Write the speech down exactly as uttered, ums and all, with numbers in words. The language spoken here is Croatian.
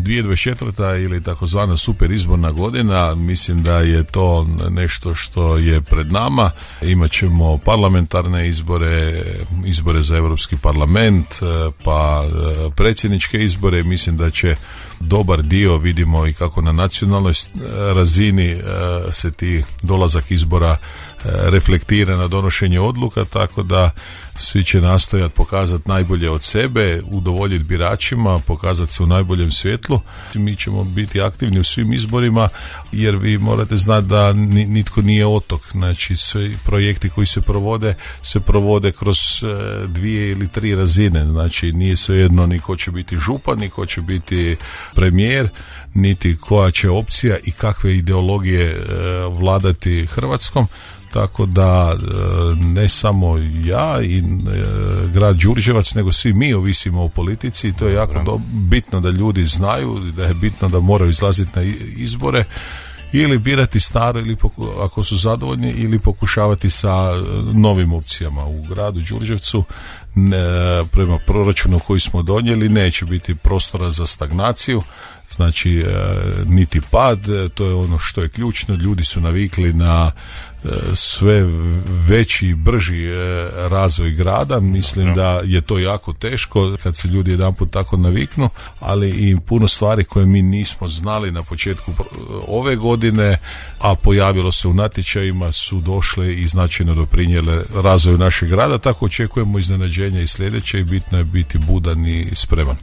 dvije tisuće dvadeset četvrta ili takozvana super izborna godina, mislim da je to nešto što je pred nama. Imaćemo parlamentarne izbore, izbore za Europski parlament, pa predsjedničke izbore. Mislim da će dobar dio, vidimo i kako na nacionalnoj razini se ti dolazak izbora reflektira na donošenje odluka, tako da svi će nastojati pokazati najbolje od sebe, udovoljiti biračima, pokazati se u najboljem svjetlu. Mi ćemo biti aktivni u svim izborima, jer vi morate znati da nitko nije otok. Znači, svi projekti koji se provode, se provode kroz dvije ili tri razine. Znači, nije svejedno ni ko će biti župan, ni ko će biti premijer, niti koja će opcija i kakve ideologije vladati Hrvatskom. Tako da ne samo ja i grad Đurđevac, nego svi mi ovisimo o politici i to je jako do, bitno da ljudi znaju, da je bitno da moraju izlaziti na izbore ili birati staro, ili poku, ako su zadovoljni, ili pokušavati sa novim opcijama. U gradu Đurđevcu ne, prema proračunu koji smo donijeli neće biti prostora za stagnaciju, znači e, niti pad, to je ono što je ključno. Ljudi su navikli na e, sve veći i brži e, razvoj grada. Mislim da je to jako teško kad se ljudi jedanput tako naviknu, ali i puno stvari koje mi nismo znali na početku ove godine, a pojavilo se u natječajima, su došle i značajno doprinijele razvoju našeg grada. Tako očekujemo iznenađenja i sljedeće i bitno je biti budan i spreman.